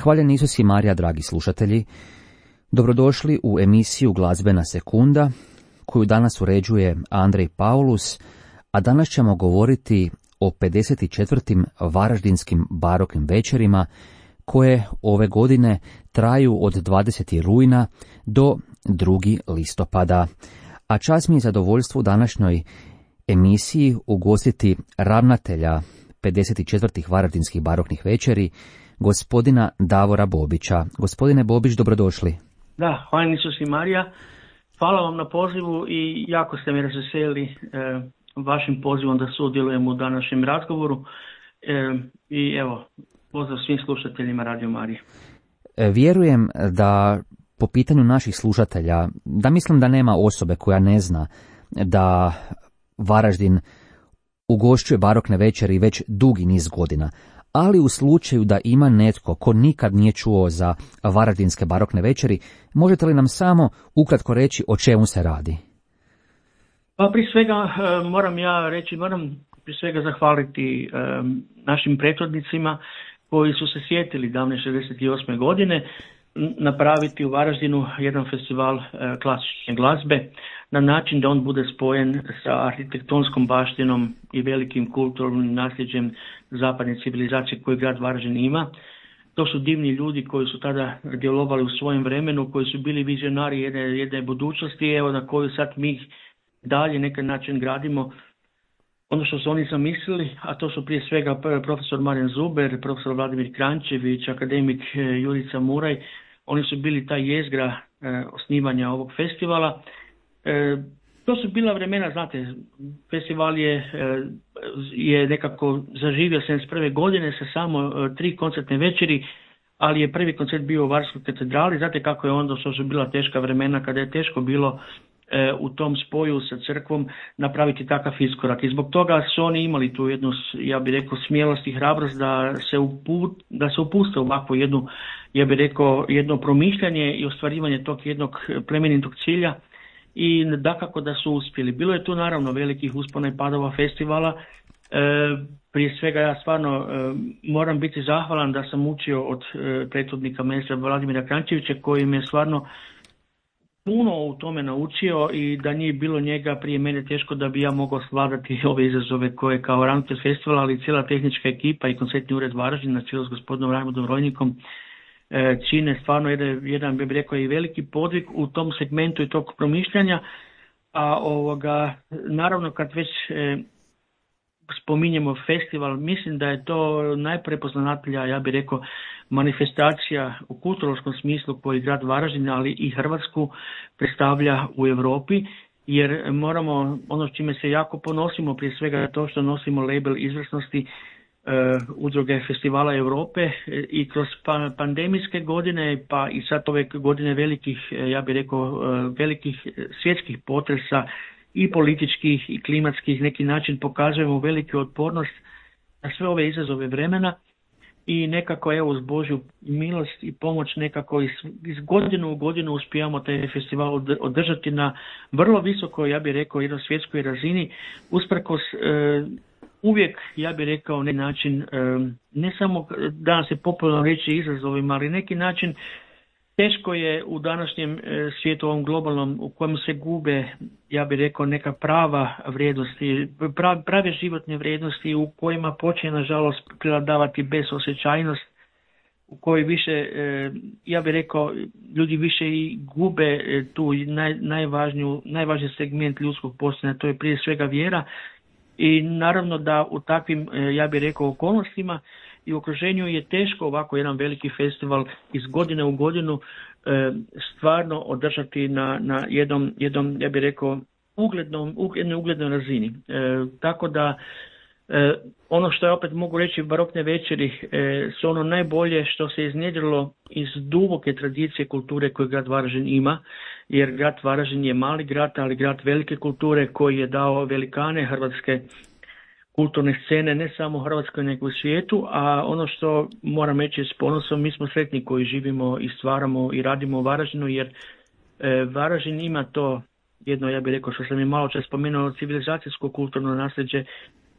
Hvaljen Isus i Marija, dragi slušatelji. Dobrodošli u emisiju Glazbena sekunda, koju danas uređuje Andrej Paulus, a danas ćemo govoriti o 54. varaždinskim baroknim večerima, koje ove godine traju od 20. rujna do 2. listopada. A čast mi je zadovoljstvo u današnjoj emisiji ugostiti ravnatelja 54. varaždinskih baroknih večeri, gospodina Davora Bobića. Gospodine Bobić, dobrodošli. Da, hvala Isus i Marija. Hvala vam na pozivu i jako ste me razveselili vašim pozivom da sudjelujem u današnjem razgovoru. I evo, pozdrav svim slušateljima Radio Marije. Vjerujem da po pitanju naših slušatelja, da mislim da nema osobe koja ne zna da Varaždin ugošćuje barokne večeri već dugi niz godina. Ali u slučaju da ima netko ko nikad nije čuo za varaždinske barokne večeri, možete li nam samo ukratko reći o čemu se radi? Pa prije svega moram prije svega zahvaliti našim prethodnicima koji su se sjetili davne 68. godine napraviti u Varaždinu jedan festival klasične glazbe na način da on bude spojen sa arhitektonskom baštinom i velikim kulturnim nasljeđem zapadne civilizacije koju grad Varaždin ima. To su divni ljudi koji su tada djelovali u svojem vremenu, koji su bili vizionari jedne budućnosti, evo na koju sad mi dalje neki način gradimo ono što su oni zamislili, a to su prije svega profesor Marijan Zuber, profesor Vladimir Krančević, akademik Jurica Muraj. Oni su bili ta jezgra osnivanja ovog festivala. To su bila vremena, znate, festival je nekako zaživio 71. godine sa samo 3 koncertne večeri, ali je prvi koncert bio u Varskoj katedrali. Znate kako je onda, što su bila teška vremena, kada je teško bilo u tom spoju sa crkvom napraviti takav iskorak. I zbog toga su oni imali tu jednu, ja bih rekao, smjelost i hrabrost da se upuste u ovakvu jednu, ja bih rekao, jedno promišljanje i ostvarivanje tog jednog plemenitog cilja. I dakako da su uspjeli. Bilo je tu naravno velikih uspona i padova festivala. Prije svega ja stvarno moram biti zahvalan da sam učio od prethodnika maestra Vladimira Krančevića, koji me stvarno puno u tome naučio i da nije bilo njega prije mene teško da bi ja mogao svladati ove izazove koje kao ravnatelj festivala, ali cijela tehnička ekipa i koncertni ured Varaždin na čelu s gospodinom Rajmundom Rojnikom čine stvarno jedan bih rekao i veliki podvig u tom segmentu i tog promišljanja. A naravno kad već spominjemo festival, mislim da je to najprepoznatljivija, ja bih rekao, manifestacija u kulturološkom smislu koji grad Varaždin, ali i Hrvatsku predstavlja u Europi, jer moramo, ono s čime se jako ponosimo, prije svega to što nosimo label izvrsnosti udruge festivala Europe i kroz pandemijske godine, pa i sad ove godine velikih, ja bih rekao, velikih svjetskih potresa i političkih i klimatskih, neki način pokazujemo veliku otpornost na sve ove izazove vremena i nekako evo uz Božju milost i pomoć nekako iz godinu u godinu uspijamo taj festival održati na vrlo visokoj, ja bih rekao, jednoj svjetskoj razini, usprkos uvijek, ja bih rekao, neki način, ne samo danas je popularno reći izazovima, ali neki način teško je u današnjem svijetu, ovom globalnom, u kojem se gube, ja bih rekao, neka prava vrijednosti, prave životne vrijednosti u kojima počne, nažalost, prevladavati bezosjećajnost, u kojoj više, ja bih rekao, ljudi više i gube tu najvažniji segment ljudskog postojanja, to je prije svega vjera. I naravno da u takvim, ja bih rekao, okolnostima i okruženju je teško ovako jedan veliki festival iz godine u godinu stvarno održati na jednom, ja bih rekao, jednoj uglednoj razini. Tako da ono što ja opet mogu reći, barokne večeri su ono najbolje što se iznjedrilo iz duboke tradicije kulture koju grad Varaždin ima, jer grad Varaždin je mali grad, ali grad velike kulture koji je dao velikane hrvatske kulturne scene, ne samo u Hrvatskoj nego u svijetu, a ono što moram reći s ponosom, mi smo sretni koji živimo i stvaramo i radimo u Varaždinu, jer Varaždin ima to jedno, ja bih rekao, što sam i malo čas spomenuo, civilizacijsko kulturno nasljeđe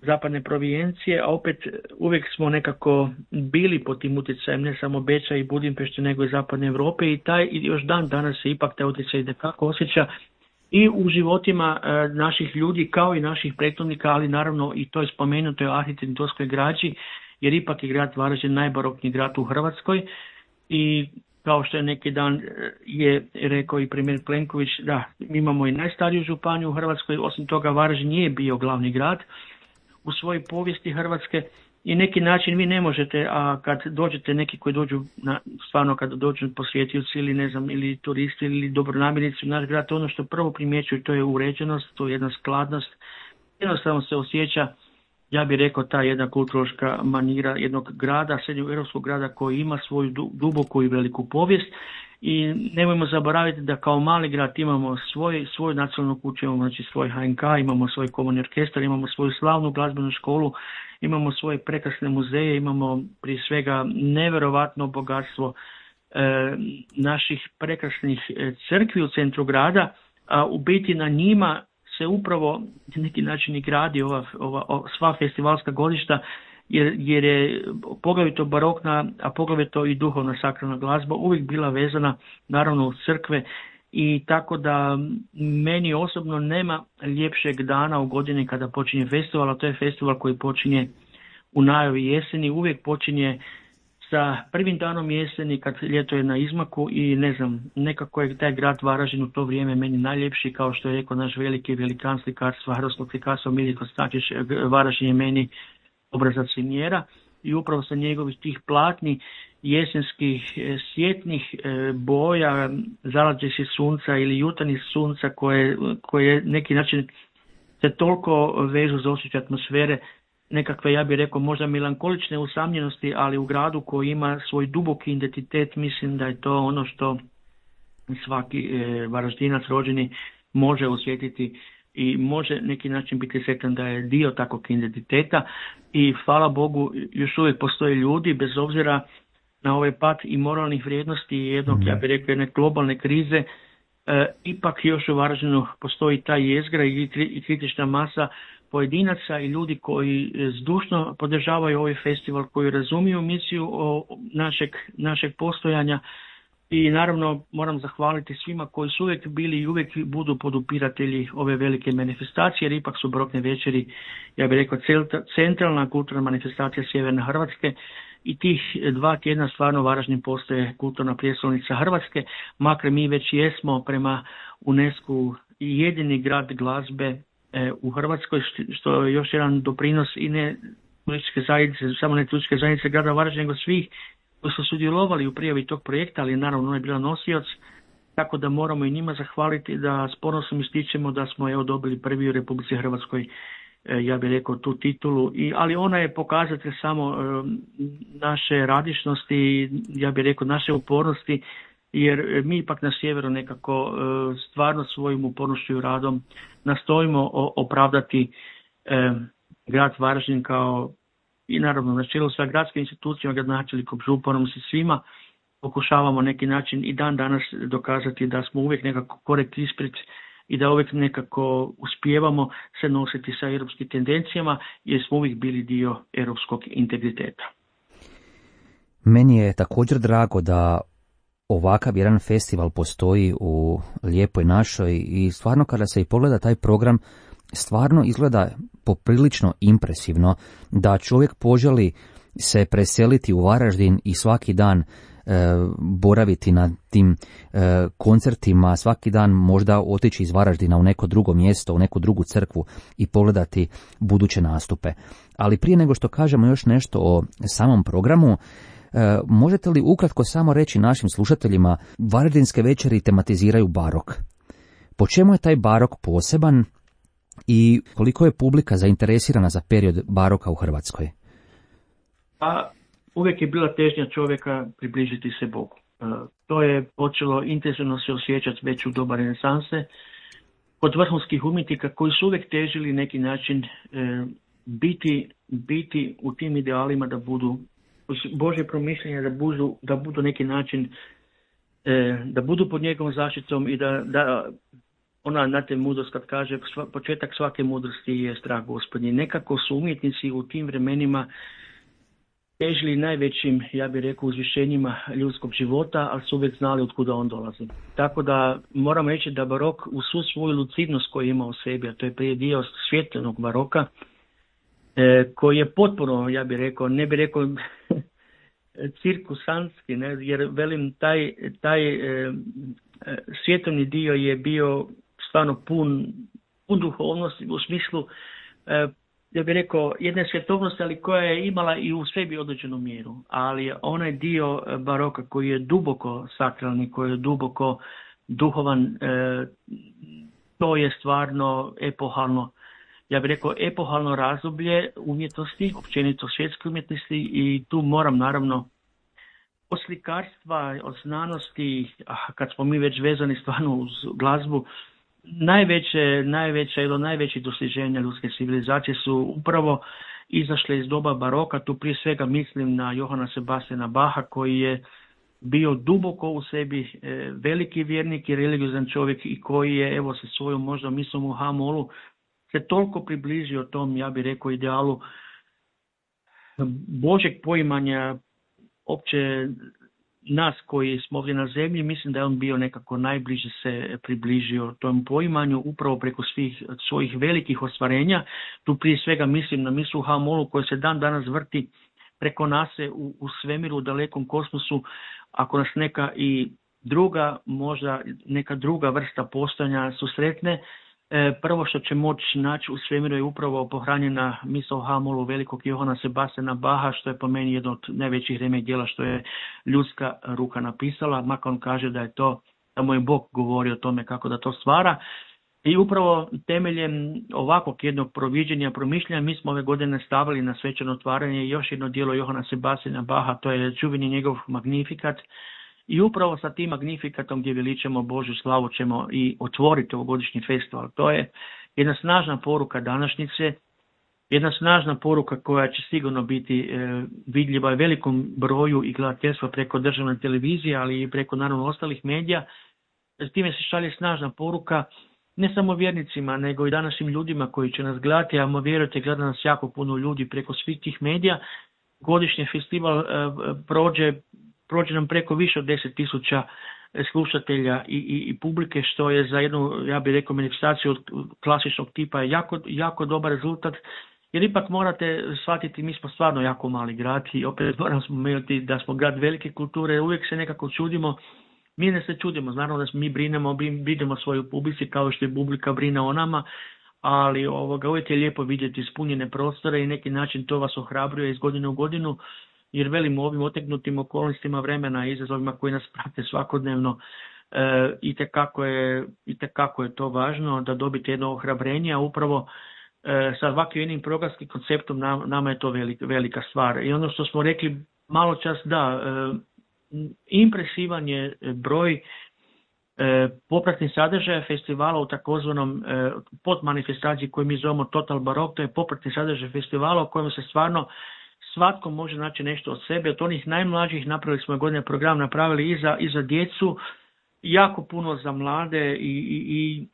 zapadne provincije, a opet uvijek smo nekako bili pod tim utjecajem ne samo Beča i Budimpešte, nego i zapadne Europe i još dan danas se ipak taj utjecaj itekako osjeća i u životima naših ljudi kao i naših prethodnika, ali naravno i to je spomenuto u arhitektonskoj građi, jer ipak je grad Varaždin najbarokniji grad u Hrvatskoj i kao što je neki dan je rekao i premijer Plenković, da mi imamo i najstariju županiju u Hrvatskoj, osim toga Varaždin nije bio glavni grad u svojoj povijesti Hrvatske i neki način vi ne možete, a kad dođete neki koji dođu, stvarno kad dođu posjetioci ili ne znam, ili turisti ili dobronamjernici u naš grad, ono što prvo primjećuju to je uređenost, to je jedna skladnost, jednostavno se osjeća, ja bih rekao, ta jedna kulturološka manira jednog grada, srednjoeuropskog grada koji ima svoju duboku i veliku povijest i nemojmo zaboraviti da kao mali grad imamo svoju nacionalnu kuću, imamo znači svoj HNK, imamo svoj komorni orkestar, imamo svoju slavnu glazbenu školu, imamo svoje prekrasne muzeje, imamo prije svega neverovatno bogatstvo naših prekrasnih crkvi u centru grada, a u biti na njima se upravo na neki način i gradi ova sva festivalska godišta, jer je poglavito barokna, a poglavito i duhovna sakralna glazba uvijek bila vezana naravno u crkve i tako da meni osobno nema ljepšeg dana u godini kada počinje festival, a to je festival koji počinje u najavi jeseni, uvijek počinje sa prvim danom jeseni kad ljeto je na izmaku i ne znam, nekako je taj grad Varaždin u to vrijeme meni najljepši, kao što je rekao naš veliki velikan slikarstva, hrvatskog slikarstva Miljenko Stačić, Varaždin je meni obrazac i mjera i upravo sa njegovih tih platni jesenskih svjetnih boja, zalađeći sunca ili jutarnjih sunca koje neki način se toliko vežu za osjećaj atmosfere, nekakve, ja bih rekao, možda melankolične usamljenosti, ali u gradu koji ima svoj duboki identitet, mislim da je to ono što svaki Varaždinac rođeni može osjetiti i može neki način biti sretan da je dio takvog identiteta i hvala Bogu još uvijek postoje ljudi bez obzira na ovaj pad i moralnih vrijednosti i jednog, ja bih rekao, jedne globalne krize, ipak još u Varaždinu postoji ta jezgra i kritična masa pojedinaca i ljudi koji zdušno podržavaju ovaj festival, koji razumiju misiju našeg postojanja i naravno moram zahvaliti svima koji su uvijek bili i uvijek budu podupiratelji ove velike manifestacije, jer ipak su barokne večeri, ja bih rekao, centralna kulturna manifestacija sjeverne Hrvatske i tih 2 tjedna stvarno Varaždin postaje kulturna prijestolnica Hrvatske, makar mi već jesmo prema UNESCO jedini grad glazbe u Hrvatskoj, što je još jedan doprinos i ne turističke zajednice, samo ne turističke zajednice grada Varaždina, nego svih koji su sudjelovali u prijavi tog projekta, ali naravno ona je bila nosioc, tako da moramo i njima zahvaliti da s ponosom ističemo da smo dobili prvi u Republici Hrvatskoj, ja bih rekao, tu titulu, ali ona je pokazatelj samo naše radišnosti, ja bih rekao naše upornosti, jer mi ipak na sjeveru nekako stvarno svojim upornošću i radom nastojimo opravdati grad Varaždin kao i naravno na čelu sa gradskim institucijama, gradonačelnikom, županom, se svima pokušavamo neki način i dan danas dokazati da smo uvijek nekako korekt ispred i da uvijek nekako uspijevamo se nositi sa europskim tendencijama jer smo uvijek bili dio europskog integriteta. Meni je također drago da ovakav jedan festival postoji u lijepoj našoj i stvarno kada se i pogleda taj program, stvarno izgleda poprilično impresivno da čovjek poželi se preseliti u Varaždin i svaki dan boraviti na tim koncertima, svaki dan možda otići iz Varaždina u neko drugo mjesto, u neku drugu crkvu i pogledati buduće nastupe. Ali prije nego što kažemo još nešto o samom programu, možete li ukratko samo reći našim slušateljima, Varaždinske večeri tematiziraju barok. Po čemu je taj barok poseban i koliko je publika zainteresirana za period baroka u Hrvatskoj? Pa uvijek je bila težnja čovjeka približiti se Bogu. To je počelo intenzivno se osjećati već u doba renesanse kod vrhunskih umjetnika koji su uvijek težili neki način biti u tim idealima da budu Božje promišljenje, da budu neki način da budu pod njegovom zaštitom i da ona, znate, mudrost kad kaže početak svake mudrosti je strah Gospodnji. Nekako su umjetnici u tim vremenima težili najvećim, ja bih rekao, uzvišenjima ljudskog života, ali su uvijek znali od kuda on dolazi. Tako da moram reći da barok u svu svoju lucidnost koju ima u sebi, a to je prije dio svjetljenog baroka, koji je potpuno, ja bih rekao, ne bih rekao cirkusanski, ne, jer velim taj svjetovni dio je bio stvarno pun duhovnosti u smislu, ja bih rekao, jedne svjetovnosti, ali koja je imala i u sebi određenu mjeru. Ali onaj dio baroka koji je duboko sakralni, koji je duboko duhovan, to je stvarno epohalno, ja bih rekao, epohalno razdoblje umjetnosti, općenito svjetske umjetnosti, i tu moram naravno od slikarstva, od znanosti, kad smo mi već vezani stvarno uz glazbu, najvećih dostiženja ljudske civilizacije su upravo izašle iz doba baroka. Tu prije svega mislim na Johana Sebastiana Bacha, koji je bio duboko u sebi veliki vjernik i religiozan čovjek, i koji je, evo, sa svojom možda mislom u H-molu se toliko približio tom, ja bih rekao, idealu Božeg poimanja opće nas koji smo ovdje na zemlji. Mislim da je on bio nekako najbliže se približio tom poimanju upravo preko svih svojih velikih ostvarenja. Tu prije svega mislim na misu H-molu koja se dan danas vrti preko nas u svemiru, u dalekom kosmosu. Ako nas neka i druga, možda neka druga vrsta postojanja susretne, prvo što će moći naći u svemiru je upravo pohranjena misao o H-molu velikog Johana Sebastiana Bacha, što je po meni jedno od najvećih remek djela što je ljudska ruka napisala, makar on kaže da je to, da mu je Bog govori o tome kako da to stvara. I upravo temeljem ovakvog jednog proviđenja, promišljanja, mi smo ove godine stavili na svečano otvaranje još jedno djelo Johana Sebastiana Bacha, to je čuveni njegov Magnifikat. I upravo sa tim Magnifikatom gdje veličamo Božju slavu ćemo i otvoriti ovogodišnji festival. To je jedna snažna poruka današnjice, jedna snažna poruka koja će sigurno biti vidljiva velikom broju i gledateljstva preko državne televizije, ali i preko naravno ostalih medija. S time se šalje snažna poruka ne samo vjernicima, nego i današnjim ljudima koji će nas gledati, a vjerujte, gleda nas jako puno ljudi preko svih tih medija. Godišnji festival prođe nam preko više od 10.000 slušatelja i publike, što je za jednu, ja bih rekao, manifestaciju od klasičnog tipa jako dobar rezultat, jer ipak morate shvatiti, mi smo stvarno jako mali grad i opet moram spomenuti da smo grad velike kulture, uvijek se nekako čudimo, mi ne se čudimo, naravno da mi brinemo svoju publici kao što je publika brine o nama, ali uvijek je lijepo vidjeti ispunjene prostore i neki način to vas ohrabruje iz godine u godinu. Jer velim, u ovim otegnutim okolnostima vremena i izazovima koji nas prate svakodnevno, itekako je to važno da dobite jedno ohrabrenje, a upravo sa ovakvim jednim programskim konceptom nama je to velika stvar. I ono što smo rekli malo čas, da, impresivan je broj popratnih sadržaja festivala u takozvanom podmanifestaciji koju mi zovemo Total Barok, to je popratni sadržaj festivala u kojem se stvarno svatko može naći nešto od sebe. Od onih najmlađih napravili smo godine program, napravili i za djecu, jako puno za mlade i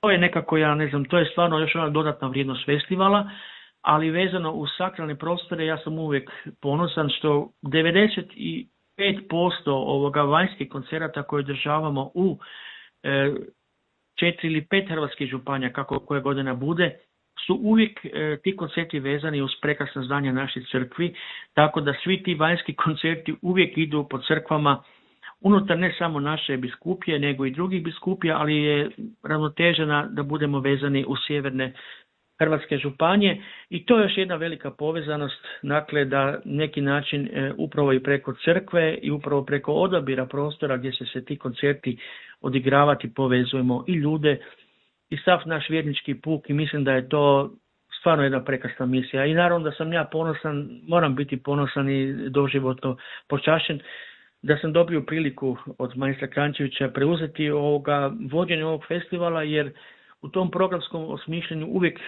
to je nekako, ja ne znam, to je stvarno još ona dodatna vrijednost festivala, ali vezano u sakralne prostore ja sam uvijek ponosan što 95% ovoga vanjskih koncerata koje održavamo u 4 ili 5 hrvatskih županija, kako koje godina bude, su uvijek ti koncerti vezani uz prekrasna zdanja naših crkvi, tako da svi ti vanjski koncerti uvijek idu po crkvama unutar ne samo naše biskupije, nego i drugih biskupija, ali je ravnotežena da budemo vezani u sjeverne hrvatske županije i to je još jedna velika povezanost, dakle da neki način upravo i preko crkve i upravo preko odabira prostora gdje se ti koncerti odigravati povezujemo i ljude i sav naš vjernički puk i mislim da je to stvarno jedna prekrasna misija. I naravno da sam ja ponosan, moram biti ponosan i doživotno počašćen da sam dobio priliku od magistra Kranjčevića preuzeti vođenje ovog festivala, jer u tom programskom osmišljenju uvijek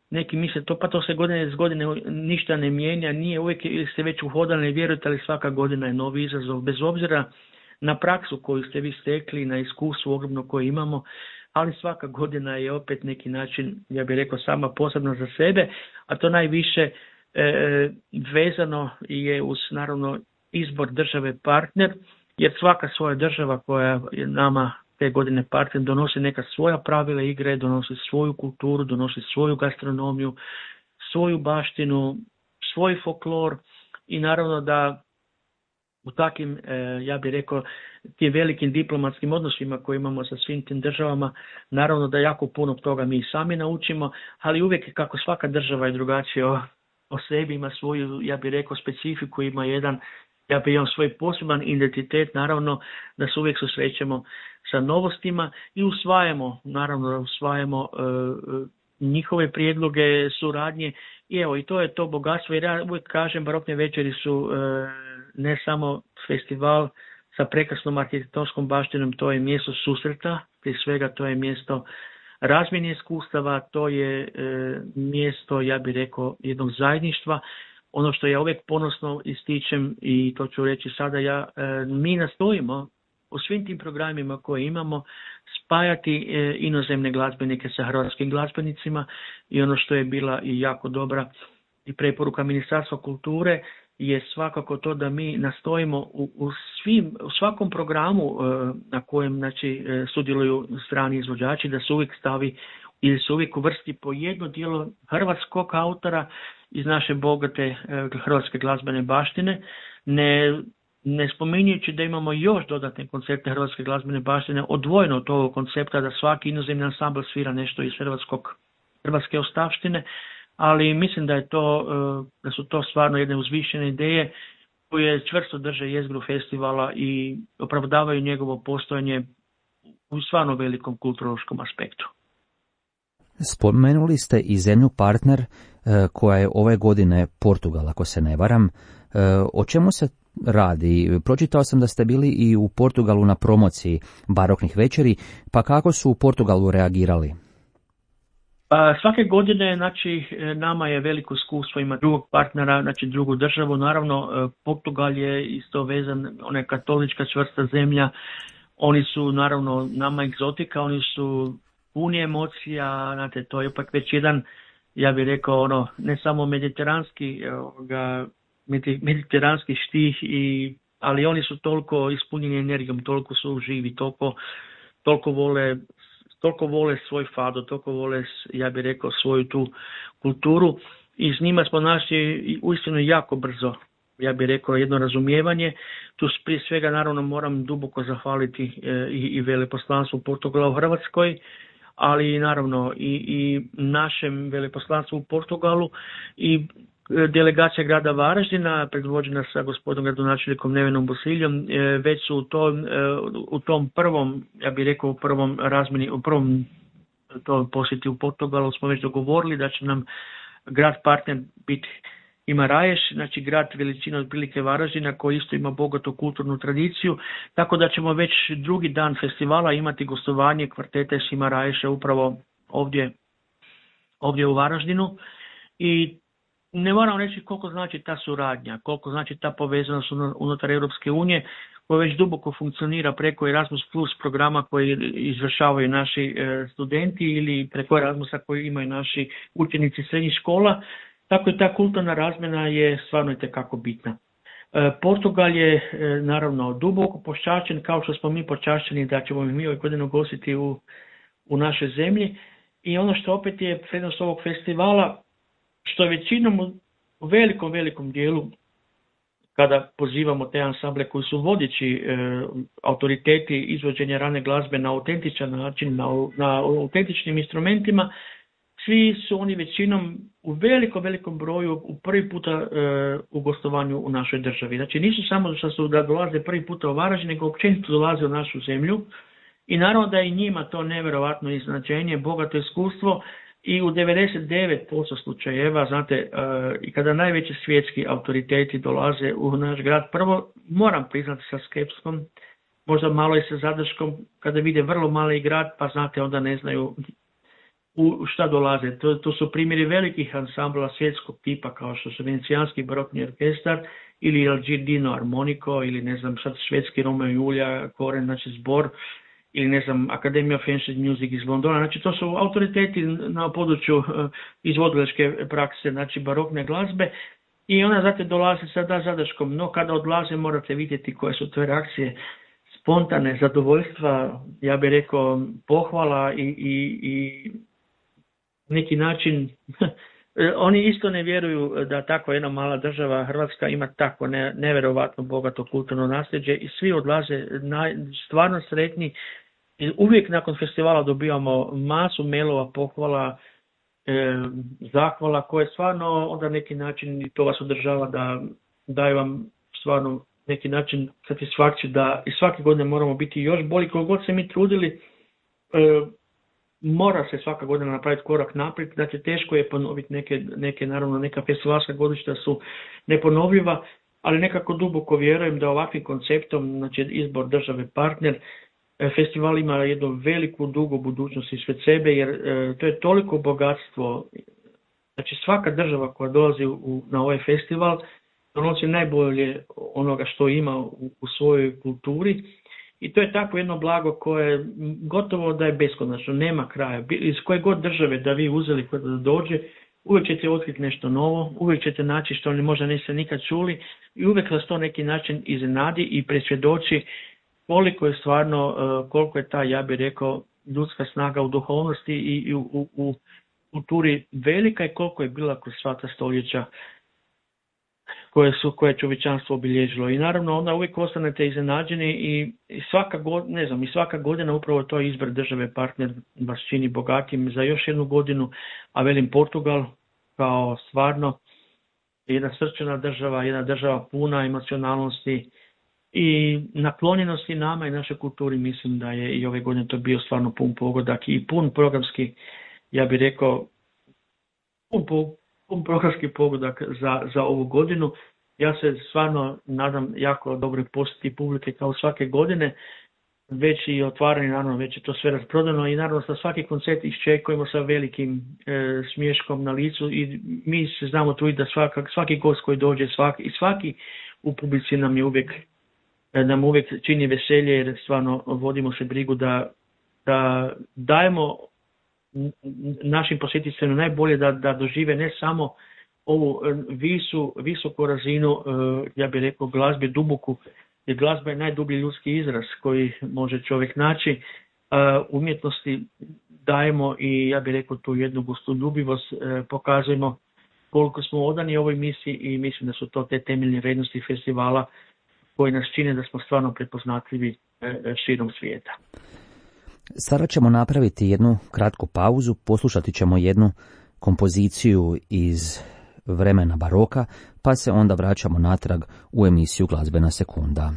neki misle to se godine iz godine ništa ne mijenja, nije uvijek ili ste već uhodani, vjerujete li svaka godina je novi izazov, bez obzira na praksu koju ste vi stekli, na iskustvo ogromno koje imamo, ali svaka godina je opet neki način, ja bih rekao, sama posebno za sebe, a to najviše vezano je uz naravno izbor države partner, jer svaka svoja država koja je nama te godine partner donosi neka svoja pravila igre, donosi svoju kulturu, donosi svoju gastronomiju, svoju baštinu, svoj folklor i naravno da u takvim, ja bih rekao, tim velikim diplomatskim odnosima koje imamo sa svim tim državama, naravno da jako puno toga mi sami naučimo, ali uvijek kako svaka država je drugačija o sebi, ima svoju, ja bih rekao, specifiku, ima jedan, ja bih imao svoj poseban identitet, naravno da se uvijek susrećemo sa novostima i usvajamo njihove prijedloge, suradnje i evo i to je to bogatstvo, jer ja uvijek kažem barokne večeri su ne samo festival sa prekrasnom arhitektonskom baštinom, to je mjesto susreta, prije svega to je mjesto razmjene iskustava, to je mjesto, ja bih rekao, jednog zajedništva. Ono što ja uvijek ponosno ističem i to ću reći sada, mi nastojimo u svim tim programima koje imamo spajati inozemne glazbenike sa hrvatskim glazbenicima i ono što je bila i jako dobra i preporuka Ministarstva kulture je svakako to da mi nastojimo u svakom programu na kojem sudjeluju strani izvođači da se uvijek stavi ili se uvijek uvrsti po jedno djelo hrvatskog autora iz naše bogate hrvatske glazbene baštine, ne spominjujući da imamo još dodatne koncerte hrvatske glazbene baštine odvojeno od ovog koncepta da svaki inozemni ansambl svira nešto iz hrvatske ostavštine, ali mislim da da su to stvarno jedne uzvišene ideje koje čvrsto drže jezgru festivala i opravdavaju njegovo postojanje u stvarno velikom kulturološkom aspektu. Spomenuli ste i zemlju partner koja je ove godine Portugal, ako se ne varam. O čemu se radi? Pročitao sam da ste bili i u Portugalu na promociji baroknih večeri, pa kako su u Portugalu reagirali? Svake godine, nama je veliko iskustvo, ima drugog partnera, drugu državu. Naravno, Portugal je isto vezan, ona je katolička čvrsta zemlja. Oni su, naravno, nama egzotika, oni su puni emocija, znate, to je ipak već jedan, ja bih rekao, ne samo mediteranski štih, ali oni su toliko ispunjeni energijom, toliko su živi, toliko vole svoj fado, toliko vole, ja bih rekao, svoju tu kulturu i s njima smo našli uistinu jako brzo, ja bih rekao, jedno razumijevanje. Tu prije svega naravno moram duboko zahvaliti i veleposlanstvu Portugala u Hrvatskoj, ali naravno i našem veleposlanstvu u Portugalu i delegacija grada Varaždina, predvođena sa gospodinom gradonačelnikom Nevenom Bosiljom, već su u tom prvom, ja bih rekao, u prvom posjeti u Portugalu smo već dogovorili da će nam grad partner biti Guimarães, grad veličine otprilike Varaždina koji isto ima bogatu kulturnu tradiciju, tako da ćemo već drugi dan festivala imati gostovanje kvartete iz Guimarãesa upravo ovdje u Varaždinu i ne moram reći koliko znači ta suradnja, koliko znači ta povezanost unutar Europske unije koja već duboko funkcionira preko Erasmus Plus programa koji izvršavaju naši studenti ili preko Erasmusa koji imaju naši učenici srednjih škola. Tako i ta kulturna razmjena je stvarno itekako bitna. Portugal je naravno duboko počašćen, kao što smo mi počašćeni da ćemo mi ove godine ugostiti u našoj zemlji. I ono što opet je prednost ovog festivala, što je većinom u velikom dijelu, kada pozivamo te ansamble koji su vodeći autoriteti izvođenja rane glazbe na autentičan način, na autentičnim instrumentima, svi su oni većinom u velikom broju u prvi puta u gostovanju u našoj državi. Znači nisu samo da dolaze prvi puta u Varaždin, nego općenito dolaze u našu zemlju i naravno da je i njima to nevjerojatno iznenađenje, bogato iskustvo i u 99% slučajeva, znate, i kada najveći svjetski autoriteti dolaze u naš grad, prvo moram priznati sa skepskom, možda malo i sa zadrškom, kada vide vrlo mali grad, pa znate, onda ne znaju u šta dolaze. To su primjeri velikih ansambla svjetskog tipa kao što su Venecijanski barokni orkestar ili El Giardino Armonico ili ne znam sad švedski Romeo i Julija, Koren, znači zbor ili ne znam, Academy of Ancient Music iz Londona. Znači to su autoriteti na području izvodiličke prakse, znači barokne glazbe, i ona znate dolazi sada zadrškom, no kada odlaze morate vidjeti koje su to reakcije, spontane, zadovoljstva, ja bih rekao pohvala i neki način oni isto ne vjeruju da tako jedna mala država Hrvatska ima tako nevjerovatno bogato kulturno nasljeđe i svi odlaze stvarno sretni. I uvijek nakon festivala dobivamo masu mailova, pohvala, zahvala koje stvarno onda neki način i to vas održava da daje vam stvarno neki način satisfakciju da i svake godine moramo biti još bolji. Koliko god se mi trudili, mora se svaka godina napraviti korak naprijed. Znači teško je ponoviti naravno neka festivalska godišta su neponovljiva, ali nekako duboko vjerujem da ovakvim konceptom, znači izbor države partner, festival ima jednu veliku, dugu budućnost ispred sebe, jer to je toliko bogatstvo. Znači svaka država koja dolazi na ovaj festival donosi najbolje onoga što ima u svojoj kulturi i to je tako jedno blago koje gotovo da je beskonačno, nema kraja. Iz koje god države da vi uzeli kada da dođe, uvijek ćete otkriti nešto novo, uvijek ćete naći što možda niste nikad čuli i uvijek vas to neki način iznenadi i presvjedoči koliko je stvarno, koliko je ta, ja bih rekao, ljudska snaga u duhovnosti i u kulturi velika i koliko je bila kroz sva ta stoljeća koje je čovječanstvo obilježilo. I naravno onda uvijek ostanete iznenađeni i svaka godina upravo to izbor države partner vas čini bogatim za još jednu godinu, a velim Portugal kao stvarno jedna srčana država, jedna država puna emocionalnosti i naklonjenosti nama i našoj kulturi. Mislim da je i ove godine to bio stvarno pun pogodak i pun programski, ja bih rekao, pun programski pogodak za ovu godinu. Ja se stvarno nadam jako dobroj posjeti publike kao svake godine, već i otvaranje, naravno već je to sve rasprodano i naravno sa svaki koncert iščekujemo sa velikim smiješkom na licu i mi se znamo tu i da svaki gost koji dođe i svaki u publici nam uvijek čini veselje, jer stvarno vodimo se brigu da dajemo našim posjetiteljima najbolje da dožive ne samo ovu visoku razinu, ja bih rekao, glazbe duboku, jer glazba je najdublji ljudski izraz koji može čovjek naći. Umjetnosti dajemo i ja bih rekao tu jednu gostoljubivost, pokazujemo koliko smo odani ovoj misiji i mislim da su to te temeljne vrijednosti festivala koji nas čine da smo stvarno prepoznatljivi širom svijeta. Sada ćemo napraviti jednu kratku pauzu, poslušati ćemo jednu kompoziciju iz vremena baroka, pa se onda vraćamo natrag u emisiju Glazbena sekunda.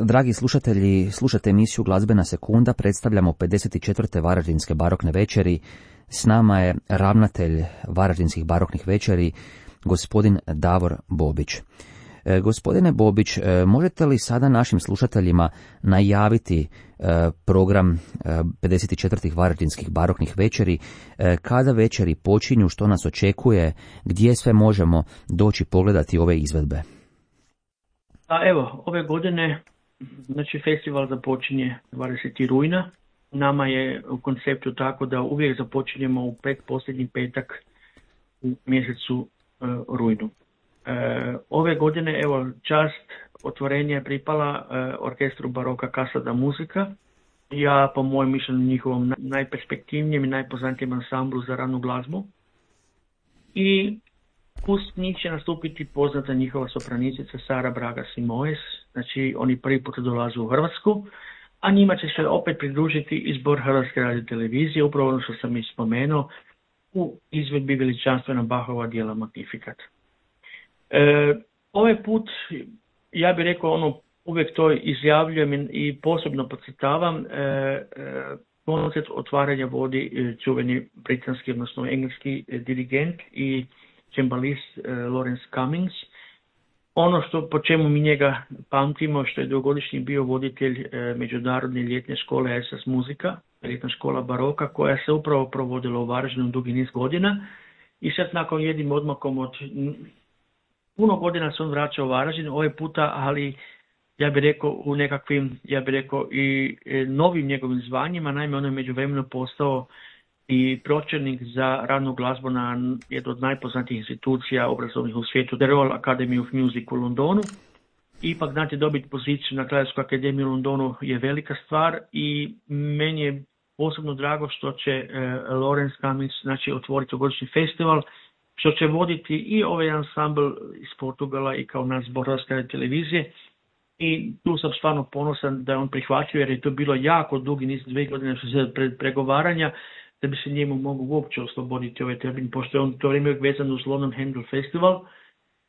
Dragi slušatelji, slušate emisiju Glazbena sekunda, predstavljamo 54. Varaždinske barokne večeri. S nama je ravnatelj Varaždinskih baroknih večeri, gospodin Davor Bobić. Gospodine Bobić, možete li sada našim slušateljima najaviti program 54. Varaždinskih baroknih večeri, kada večeri počinju, što nas očekuje, gdje sve možemo doći pogledati ove izvedbe? Evo, ove godine znači festival započinje 20. rujna. Nama je u konceptu tako da uvijek započinjemo u pretposljednji petak u mjesecu rujnu. Ove godine, evo, čast otvorenja je pripala orkestru baroka Casa da Musica. Ja, po mojem mišljenju, njihovom najperspektivnijem i najpoznatijem ansamblu za ranu glazbu. I uz njih će nastupiti poznata njihova sopranistica Sara Braga Simoes. Znači, oni prvi put dolaze u Hrvatsku, a njima će se opet pridružiti izbor Hrvatske radiotelevizije, upravo ono što sam i spomenuo, u izvedbi veličanstvena Bachova djela Magnificat. Ovaj put, ja bih rekao, uvijek to izjavljujem i posebno podcrtavam, koncert otvaranja vodi čuveni britanski, odnosno engleski dirigent i cembalist Lawrence Cummings. Ono po čemu mi njega pamtimo, što je dugogodišnji bio voditelj međunarodne ljetne škole SS Muzika, ljetna škola baroka, koja se upravo provodila u Varaždinu dugi niz godina. I sad nakon jednim odmakom od puno godina se on vraća u Varaždin, ovaj puta, ali ja bih rekao u nekakvim, i novim njegovim zvanjima. Naime, on je međuvremenu postao i pročelnik za ranu glazbu na jednu od najpoznatijih institucija obrazovnih u svijetu, The Royal Academy of Music u Londonu. Ipak, znate, dobiti poziciju na Kraljevskoj akademiji u Londonu je velika stvar i meni je posebno drago što će Lawrence Cummings, znači, otvoriti godišnji festival, što će voditi i ovaj ansambl iz Portugala i kao nas zbor Hrvatske televizije. I tu sam stvarno ponosan da je on prihvatio, jer je to bilo jako dugi niz, 2 godine pred pregovaranja, da bi se njemu mogu uopće osloboditi ovaj termin, pošto je on to vrijeme vezan uz London Handel Festival,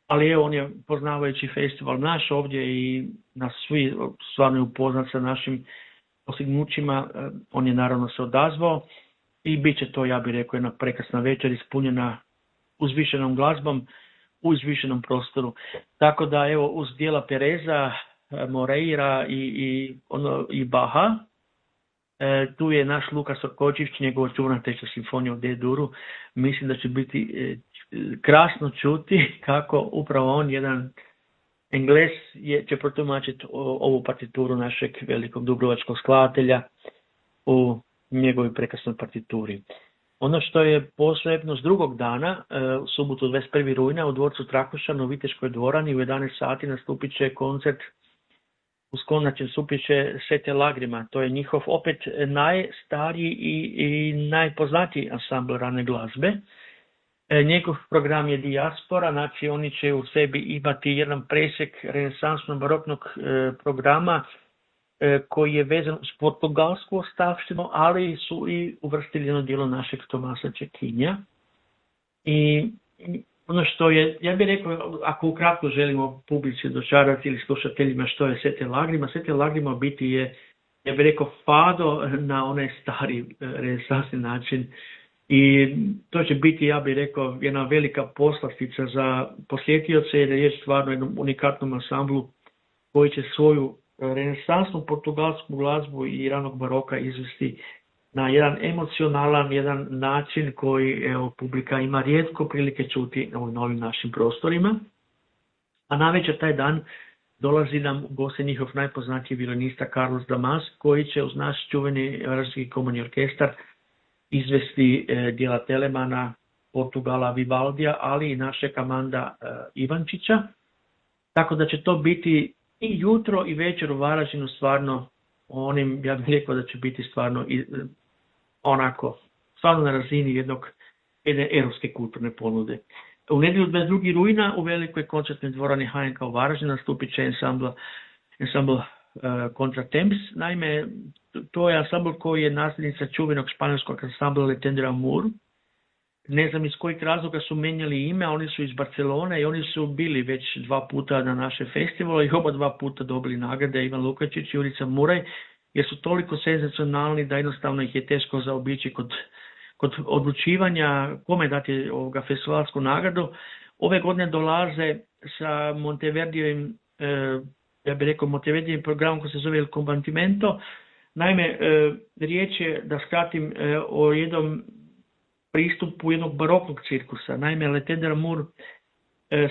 ali evo, on je poznavajući festival naš ovdje i nas svi stvarno je upoznat sa našim postignućima, on je naravno se odazvao i bit će to, ja bih rekao, jedna prekrasna večer ispunjena uzvišenom glazbom u izvišenom prostoru. Tako da, evo, uz dijela Pereza, Moreira i Baha, tu je naš Lukas Orkočić, njegova čuvena treća simfonija u D-duru. Mislim da će biti krasno čuti kako upravo on, jedan Engles, će protumačiti ovu partituru našeg velikog dubrovačkog skladatelja u njegovoj prekrasnoj partituri. Ono što je posebno s drugog dana, u subotu 21. rujna u dvorcu Trakošan u Viteškoj dvorani u 11 sati nastupit će koncert uz konačan nastupit će Sete Lagrima. To je njihov opet najstariji i najpoznatiji ansambl rane glazbe. Njegov program je Dijaspora, znači oni će u sebi imati jedan presjek renesansnog baroknog programa koji je vezan s portugalsku ostavštinu, ali su i uvrstili jedno djelo našeg Tomasa Čekinja. I ono što je, ja bih rekao, ako ukratko želimo publici dočarati ili slušateljima što je Sete Lagrima, Sete Lagrima biti je, ja bih rekao, fado na onaj stari renesansni način. I to će biti, ja bih rekao, jedna velika poslastica za posjetioce, jer je stvarno jednom unikatnom ansamblu koji će svoju renesansnu portugalsku glazbu i ranog baroka izvesti na jedan emocionalan, jedan način koji, evo, publika ima rijetko prilike čuti u novim našim prostorima. A navečer taj dan dolazi nam u goste njihov najpoznatiji violinista Carlos Damas, koji će uz naš čuveni Varaždinski komorni orkestar izvesti djela Telemana, Portugala, Vivaldija, ali i našeg Amanda Ivančića. Tako da će to biti i jutro i večer u Varaždinu stvarno onim, ja bih rekao da će biti stvarno onako, stvarno na razini jedne europske kulturne ponude. U nedjelju 22. rujna u velikoj koncertnoj dvorani HNK u Varaždinu nastupit će ansambl Contratemps. Naime, to je ansambl koji je nasljednica čuvenog španjolskog ansambla Le Tendre Amour. ne znam iz kojih razloga su menjali ime, oni su iz Barcelone i oni su bili već 2 puta na naše festivale i oba 2 puta dobili nagrade, Ivan Lukačić i Jurica Muraj, jer su toliko senzacionalni da jednostavno ih je teško zaobići kod odlučivanja kome dati festivalsku nagradu. Ove godine dolaze sa Monteverdijevim, ja bih rekao Monteverdijevim programom koji se zove Il Combattimento. Naime, riječ je, da skratim, o jednom pristupu jednog baroknog cirkusa. Naime, Le Tendre Amour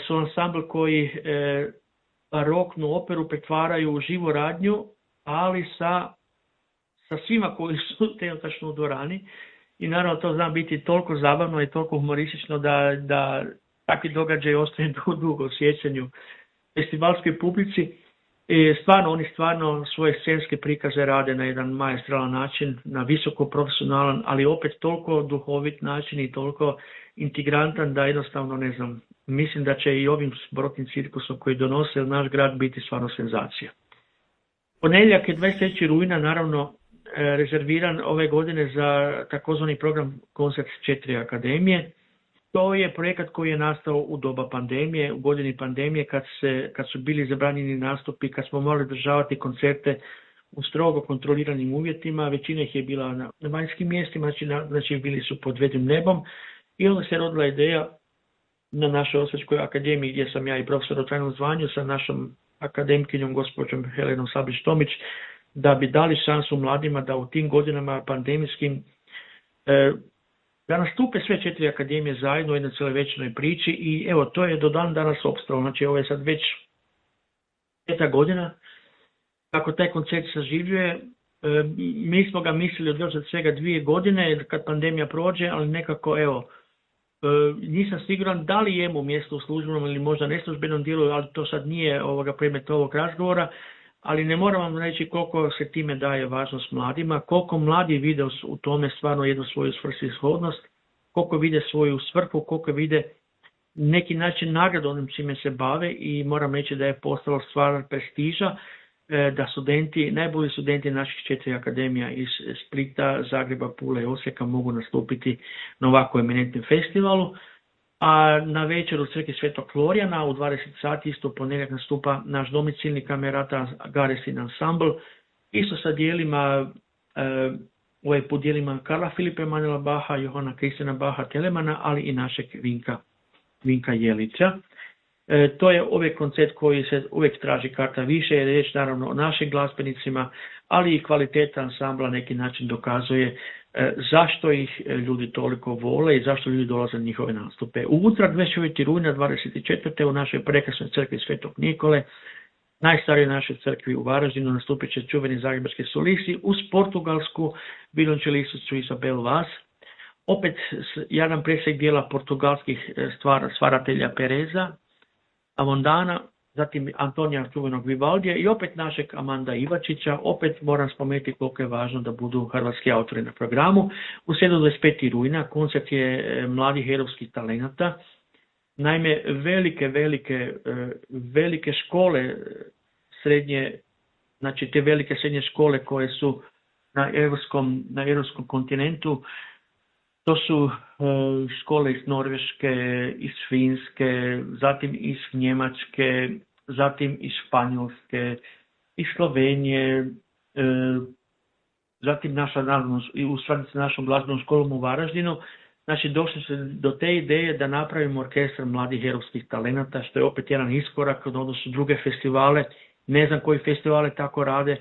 su ansambl koji baroknu operu pretvaraju u živu radnju, ali sa svima koji su trenutačno u dvorani. I naravno to zna biti toliko zabavno i toliko humoristično da takvi događaj ostaju dugo u sjećanju festivalskoj publici. I oni stvarno svoje scenske prikaze rade na jedan maestralan način, na visoko profesionalan, ali opet toliko duhovit način i toliko integrantan da jednostavno ne znam, mislim da će i ovim baroknim cirkusom koji donose u naš grad biti stvarno senzacija. Ponedjeljak je 23. rujna naravno rezerviran ove godine za takozvani program Koncert 4 akademije. To je projekat koji je nastao u doba pandemije, u godini pandemije kad su bili zabranjeni nastupi, kad smo morali održavati koncerte u strogo kontroliranim uvjetima, većina ih je bila na vanjskim mjestima, znači bili su pod vedrim nebom i onda se rodila ideja na našoj Osječkoj akademiji gdje sam ja i profesor u trajnom zvanju sa našom akademkinjom gospođom Helenom Sablić-Tomić da bi dali šansu mladima da u tim godinama pandemijskim da nastupe sve 4 akademije zajedno u jednoj cijelovečernoj priči i evo to je do dan danas opstalo. Znači ovo je sad već 5. godina kako taj koncert saživljuje. Mi smo ga mislili održati svega 2 godine kad pandemija prođe, ali nekako nisam siguran da li je mu mjesto u službenom ili možda neslužbenom dijelu, ali to sad nije predmet ovog razgovora. Ali ne moram vam reći koliko se time daje važnost mladima, koliko mladi vide u tome stvarno jednu svoju svrsishodnost, koliko vide svoju svrhu, koliko vide neki način nagradu onim čime se bave i moram reći da je postalo stvar prestiža da najbolji studenti naših 4 akademija iz Splita, Zagreba, Pule i Osijeka mogu nastupiti na ovako eminentnom festivalu. A na večer u crkvi Svetog Florijana u 20 sati isto ponedjeljak nastupa naš domicilni kamerata Garesin ansambl, isto sa dijelima, put dijelima Karla Filipa Emanuela Baha, Johana Kristina Baha Telemana, ali i našeg Vinka Jelića. To je uvijek koncert koji se uvijek traži karta više, jer je riječ naravno o našim glazbenicima, ali i kvaliteta ansambla neki način dokazuje zašto ih ljudi toliko vole i zašto ljudi dolaze na njihove nastupe. U utorak 29. rujna 24. u našoj prekrasnoj crkvi Svetog Nikole, najstarijoj našoj crkvi u Varaždinu, nastupit će čuveni zagrebački solisti uz portugalsku violončelisticu Isabel Vaz. Opet jedan presjek dijela portugalskih stvaratelja Pereza, Avondana, zatim Antonija čuvenog Vivaldija i opet našeg Amanda Ivačića. Opet moram spomenuti koliko je važno da budu hrvatski autori na programu. U srijedu 25. rujna koncert je mladih herojskih talenata. Naime, velike škole srednje, znači te velike srednje škole koje su na europskom kontinentu, to su škole iz Norveške, iz Finske, zatim iz Njemačke, zatim iz Španjolske, iz Slovenije, zatim u stvari sa našom glazbenom školom u Varaždinu. Znači došli se do te ideje da napravimo orkestar mladih herojskih talenata, što je opet jedan iskorak od odnosu druge festivale. Ne znam koji festivale tako rade.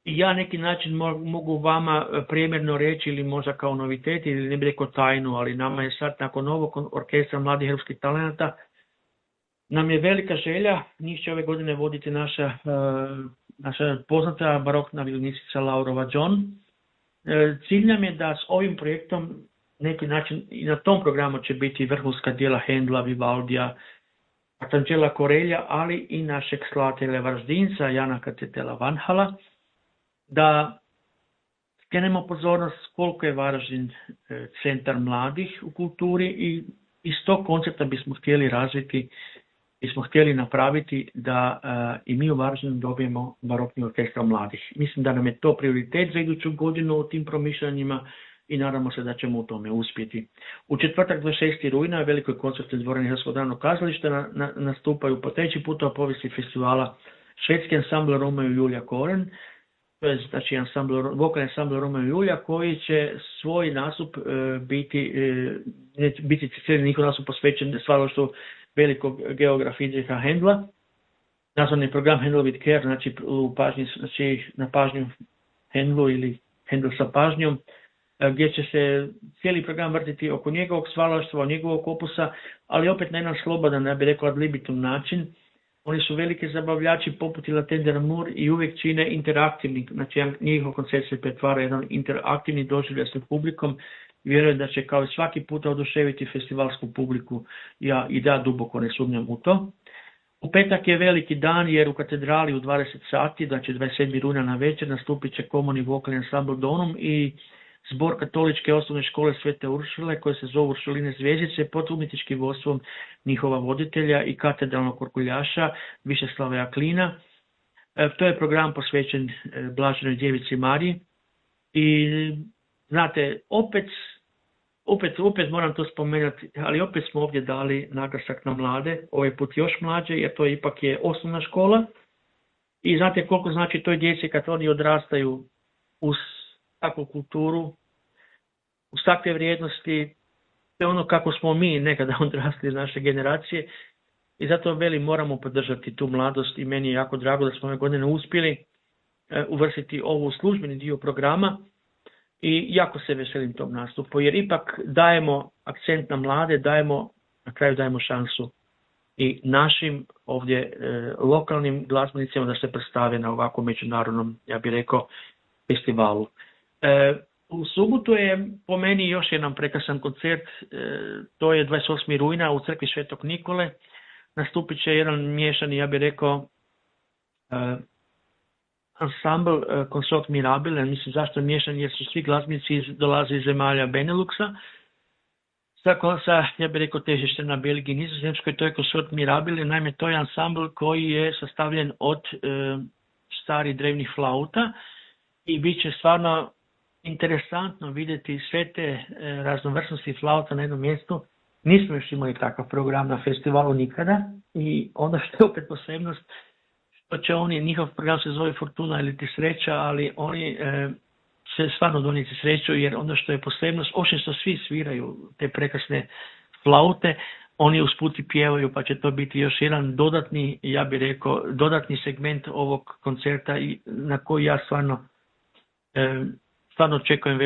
I ja neki način mogu vama primjerno reći ili možda kao novitet ili ne bih rekao tajnu, ali nama je sad nakon novog orkestra mladih herojskih talenata nam je velika želja, njih će ove godine voditi naša poznata barokna violinistica Laurova John. Cilj nam je da s ovim projektom neki način i na tom programu će biti vrhunska djela Hendla, Vivaldija, Arcangela Corelja, ali i našeg skladatelja Varaždinca Jana Katetela Vanhala, da skrenemo pozornost koliko je Varaždin centar mladih u kulturi i iz tog koncepta bismo htjeli razviti, bismo htjeli napraviti da i mi u Varaždinu dobijemo barokni orkestar mladih. Mislim da nam je to prioritet za iduću godinu u tim promišljanjima. i nadamo se da ćemo u tome uspjeti. U četvrtak 26. rujna velikoj koncertnoj dvorani Hrvatskog narodnog kazališta nastupaju po treći puta u povijesti festivala švedski ansambl Romeo i Julija Koren. To je znači vokalni ansambl Romeo i Julija koji će svoj nastup biti cijeli njihov nastup posvećen stvaralaštvu velikog geografa Friedricha Händla. Nazvani program Händel with Care, znači na pažnju Händlu ili Händel sa pažnjom, gdje će se cijeli program vrtiti oko njegovog stvaralaštva, njegovog opusa, ali opet na jedan slobodan, ja bih rekao ad libitum način. Oni su veliki zabavljači poput La Tender Amour i uvijek čine interaktivni, znači njihov koncert se pretvara jedan interaktivni doživljaj sa publikom. Vjerujem da će kao i svaki puta oduševiti festivalsku publiku, ja duboko ne sumnjam u to. U petak je veliki dan jer u katedrali u 20 sati, znači 27. rujna na večer, nastupit će komorni vokalni ansambl Donum i zbor katoličke osnovne škole Svete Uršule koje se zovu Uršuline zvjezdice pod umjetničkim vodstvom njihova voditelja i katedralnog orguljaša Višeslava Jaklina. To je program posvećen Blaženoj djevici Mariji i znate, opet moram to spomenuti, ali opet smo ovdje dali naglasak na mlade, ovaj put još mlađe, jer to ipak je osnovna škola. I znate koliko znači toj djeci kad oni odrastaju uz takvu kulturu, uz takve vrijednosti, to je ono kako smo mi nekada odrasli iz naše generacije. I zato moramo podržati tu mladost i meni je jako drago da smo ove godine uspjeli uvrstiti ovo u službeni dio programa. I jako se veselim tom nastupu, jer ipak dajemo akcent na mlade, na kraju dajemo šansu i našim ovdje lokalnim glazbenicima da se predstave na ovakvom međunarodnom, ja bih rekao, festivalu. U subotu je po meni još jedan prekrasan koncert, to je 28. rujna u crkvi Svetog Nikole. Nastupit će jedan miješani, ja bih rekao, ansambl Consort Mirabile, mislim zašto je miješan, jer su svi glazbenici dolaze iz zemalja Beneluxa, sa ja bih rekao težište na Belgiji i Nizozemskoj, to je Consort Mirabile, naime to je ansambl koji je sastavljen od starih drevnih flauta i bit će stvarno interesantno vidjeti sve te raznovrsnosti flauta na jednom mjestu. Nismo još imali takav program na festivalu nikada i ono što je opet posebnost, njihov program se zove Fortuna ili ti sreća, ali oni će stvarno donijeti sreću, jer ono što je posebnost, osim što svi sviraju te prekrasne flaute, oni usput i pjevaju, pa će to biti još jedan dodatni, ja bih rekao, dodatni segment ovog koncerta i na koji ja stvarno očekujem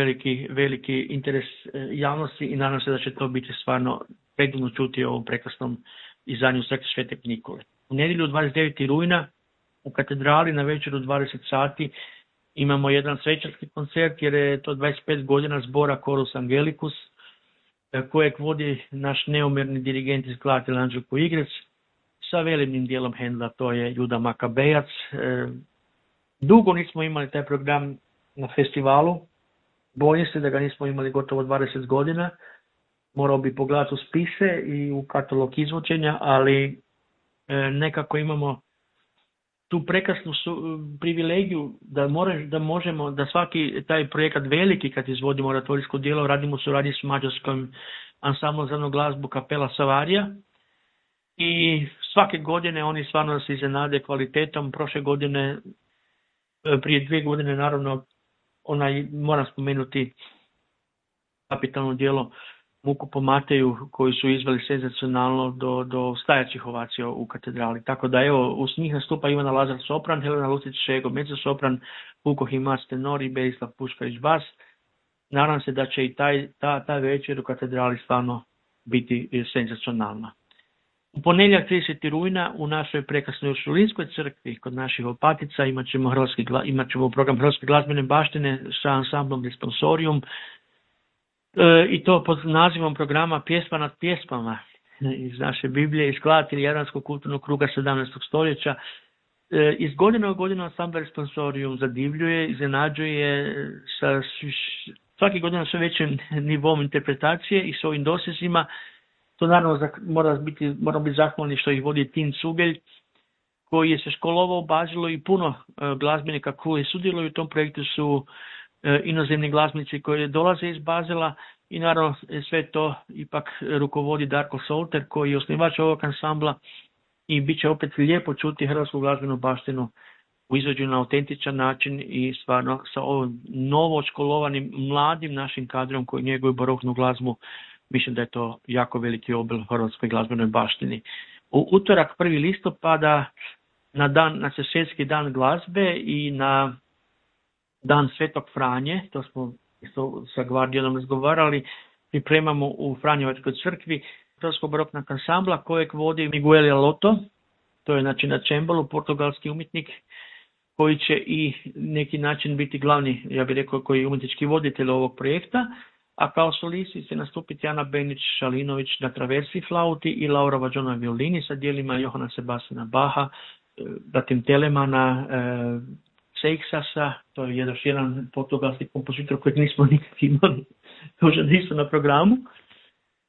veliki interes javnosti i nadam se da će to biti stvarno predivno čuti o ovom prekrasnom izdanju Crkve Svetog Nikole. U nedjelju 29. rujna u katedrali na večer u 20 sati imamo jedan svečarski koncert jer je to 25 godina zbora Chorus Angelicus kojeg vodi naš neumjerni dirigent iz Klatila Anđelko Igrec sa velimnim dijelom Händla, to je Juda Makabejac. Dugo nismo imali taj program na festivalu, bojim se da ga nismo imali gotovo 20 godina, morao bi pogledati u spise i u katalog izvođenja, ali nekako imamo tu prekrasnu privilegiju da možemo, da svaki taj projekat veliki kad izvodimo oratorijsko djelo, radimo u suradnji s mađarskom ansamblom za jednu glazbu Kapela Savarija i svake godine oni stvarno se iznenade kvalitetom. Prošle godine, prije 2 godine naravno, moram spomenuti kapitalno djelo Muku po Mateju koji su izveli senzacionalno do stajaćih ovacija u katedrali. Tako da evo, uz njih nastupa Ivana Lazar sopran, Helena Lucić Šego mezzo sopran, Vuko Himac tenor i Berislav Puškarić bas. Nadam se da će i ta večer u katedrali stvarno biti senzacionalna. U ponedjeljak 30. rujna u našoj prekrasnoj Uršulinskoj crkvi kod naših opatica imat ćemo program Hrvatske glazbene baštine sa ansamblom Responsorium i to pod nazivom programa Pjesma nad pjesmama iz naše Biblije, iz Klatila Jadranskog kulturnog kruga 17. stoljeća. Iz godine u godinu ansambl Responsorium zadivljuje, iznenađuje sa svaki godina sve većim nivom interpretacije i s ovim dosezima. To naravno moramo biti zahvalni što ih vodi Tin Cugelj, koji je se školovao u Bazilu i puno glazbenika koji sudjeluju u tom projektu su inozemni glazbenici koji dolaze iz Bazela i naravno sve to ipak rukovodi Darko Solter koji je osnivač ovog ansambla i bit će opet lijepo čuti hrvatsku glazbenu baštinu u izvođenju na autentičan način i stvarno sa ovim novo školovanim mladim našim kadrom koji njeguju baroknu glazbu. Mislim da je to jako veliki obel hrvatskoj glazbenoj baštini. U utorak 1. listopada na svjetski dan glazbe i na dan Svetog Franje, to smo isto sa Gvardijanom razgovarali, pripremamo u Franjevačkoj crkvi hrvatskog baroknog ansambla kojeg vodi Miguel Loto, to je znači na čembalo, portugalski umjetnik koji će i neki način biti glavni, ja bih rekao, koji je umjetnički voditelj ovog projekta, a kao solisti će nastupiti Ana Benić-Šalinović na traversi flauti i Laura Vađona na violini sa dijelima Johana Sebastiana Baha, zatim Telemana, Seixasa, to je još jedan portugalski kompozitor kojeg nismo nikad imali, to nisu na programu.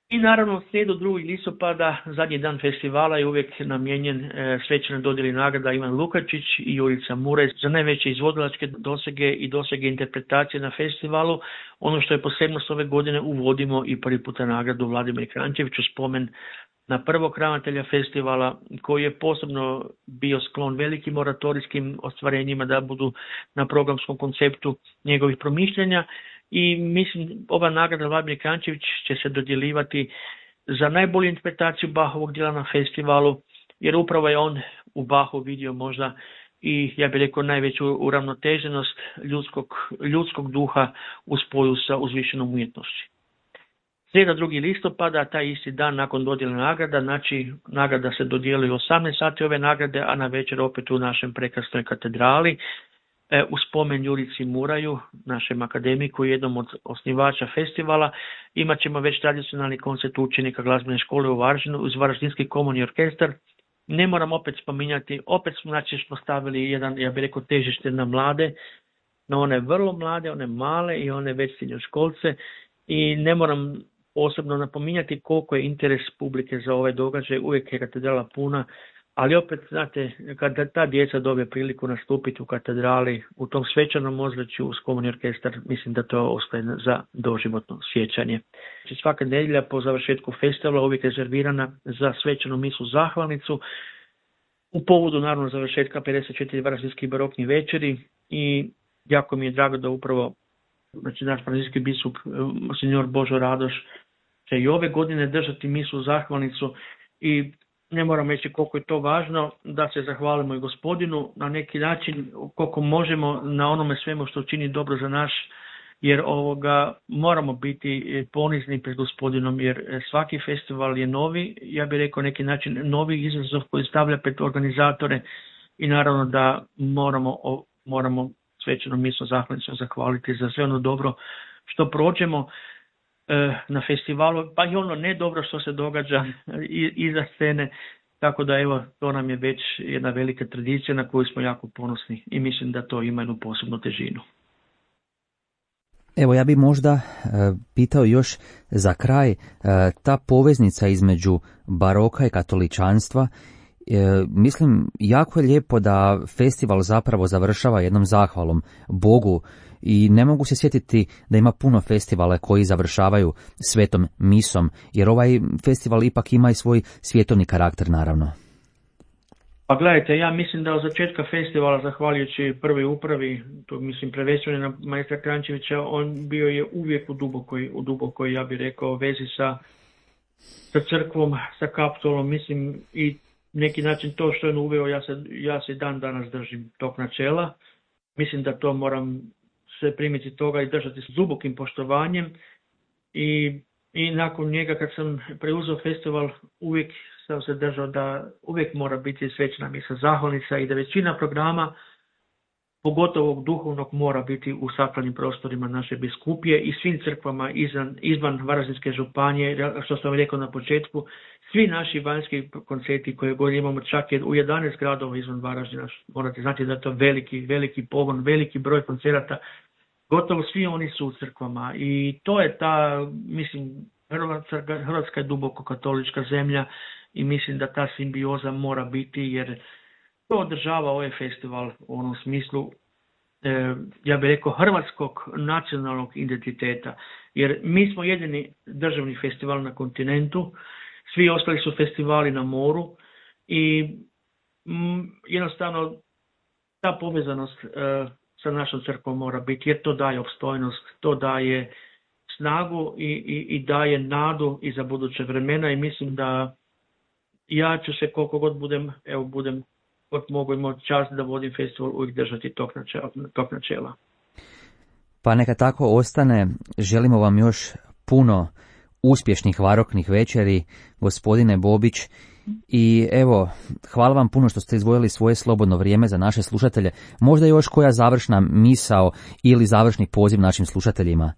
I naravno u srijedu 2. listopada, zadnji dan festivala, je uvijek namijenjen svečanoj dodjeli nagrada Ivan Lukačić i Jurica Murez za najveće izvodilačke dosege i dosege interpretacije na festivalu. Ono što je posebnost ove godine, uvodimo i prvi puta nagradu Vladimir Kranjčeviću, spomen na prvog ravnatelja festivala koji je posebno bio sklon velikim oratorijskim ostvarenjima da budu na programskom konceptu njegovih promišljanja. I mislim, ova nagrada Vladimir Kranjčević će se dodjeljivati za najbolju interpretaciju Bahovog djela na festivalu, jer upravo je on u Bahu vidio možda i, ja bih rekao, najveću uravnoteženost ljudskog duha u spoju sa uzvišenom umjetnošću. Srijeda 2. listopada, taj isti dan nakon dodjele nagrada, znači nagrada se dodjeljuje u 18 sati ove nagrade, a na večer opet u našem prekrasnoj katedrali. U spomen Jurici Muraju, našem akademiku, jednom od osnivača festivala, imat ćemo već tradicionalni koncert učenika glazbene škole u Varaždinu uz Varaždinski komorni orkestar. Ne moram opet spominjati, opet smo stavili jedan, ja bih rekao, težište na mlade, na one vrlo mlade, one male i one već srednjoškolce, i ne moram posebno napominjati koliko je interes publike za ovaj događaj, uvijek je katedrala puna. Ali opet, znate, kada ta djeca dobije priliku nastupiti u katedrali, u tom svečanom ozračju uz komorni orkestar, mislim da to ostaje za doživotno sjećanje. Svaka nedjelja po završetku festivala uvijek je rezervirana za svečanu misu zahvalnicu, u povodu naravno završetka 54 varaždinskih baroknih večeri, i jako mi je drago da upravo naš varaždinski biskup monsignor Božo Radoš će i ove godine držati misu zahvalnicu, i ne moram reći koliko je to važno da se zahvalimo i Gospodinu na neki način koliko možemo na onome svemu što čini dobro za naš, jer moramo biti ponizni pred Gospodinom, jer svaki festival je novi, ja bih rekao neki način novi izazov koji stavlja pred organizatore, i naravno da moramo svečano misu zahvalnicu zahvaliti za sve ono dobro što prođemo na festivalu, pa i ono ne dobro što se događa iza scene, tako da evo, to nam je već jedna velika tradicija na koju smo jako ponosni i mislim da to ima jednu posebnu težinu. Evo, ja bih možda pitao još za kraj, ta poveznica između baroka i katoličanstva, mislim, jako je lijepo da festival zapravo završava jednom zahvalom Bogu, i ne mogu se sjetiti da ima puno festivala koji završavaju svetom misom, jer ovaj festival ipak ima i svoj svjetovni karakter, naravno. Pa gledajte, ja mislim da od začetka festivala, zahvaljujući prvoj upravi, to mislim prvenstveno na maestra Kranjčevića, on bio je uvijek u dubokoj, ja bih rekao, vezi sa crkvom, sa kapitolom, mislim, i neki način to što je on uveo, ja se dan danas držim tog načela. Mislim da to moram se primiti toga i držati s dubokim poštovanjem, i nakon njega kad sam preuzeo festival uvijek sam se držao da uvijek mora biti svečana misa zahvalnica i da većina programa, pogotovo ovog duhovnog, mora biti u sakralnim prostorima naše biskupije i svim crkvama izvan Varaždinske županije, što sam rekao na početku. Svi naši vanjski koncerti koje god imamo, čak je u 11 gradova izvan Varaždina, morate znati da je to veliki pogon, veliki broj koncerata, gotovo svi oni su u crkvama, i to je ta, mislim, Hrvatska je duboko katolička zemlja i mislim da ta simbioza mora biti, jer to održava ovaj festival u onom smislu ja bih rekao, hrvatskog nacionalnog identiteta. Jer mi smo jedini državni festival na kontinentu, svi ostali su festivali na moru i jednostavno ta povezanost sa našom crkvom mora biti, jer to daje opstojnost, to daje snagu i daje nadu i za buduće vremena i mislim da ja ću se koliko god budem kod mogu imati čast da vodim festival, uvijek držati tog načela. Pa neka tako ostane. Želimo vam još puno uspješnih baroknih večeri, gospodine Bobić. I evo, hvala vam puno što ste izdvojili svoje slobodno vrijeme za naše slušatelje. Možda još koja završna misao ili završni poziv našim slušateljima?